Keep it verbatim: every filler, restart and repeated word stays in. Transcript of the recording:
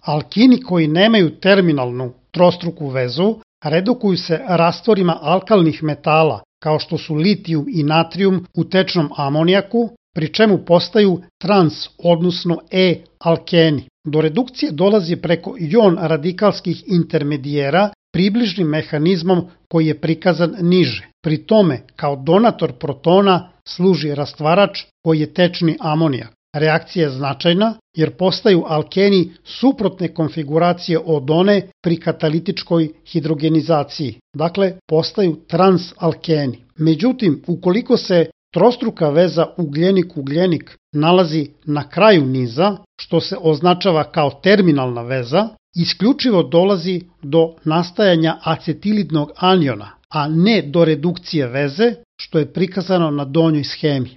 Alkini koji nemaju terminalnu trostruku vezu redukuju se rastvorima alkalnih metala kao što su litijum i natrijum u tečnom amonijaku, pri čemu postaju trans, odnosno E-alkeni. Do redukcije dolazi preko jon radikalskih intermedijera približnim mehanizmom koji je prikazan niže. Pri tome, kao donator protona služi rastvarač koji je tečni amonijak. Reakcija je značajna jer postaju alkeni suprotne konfiguracije od one pri katalitičkoj hidrogenizaciji. Dakle, postaju transalkeni. Međutim, ukoliko se trostruka veza ugljenik-ugljenik nalazi na kraju niza, što se označava kao terminalna veza, isključivo dolazi do nastajanja acetilidnog aniona, a ne do redukcije veze, što je prikazano na donjoj schemi.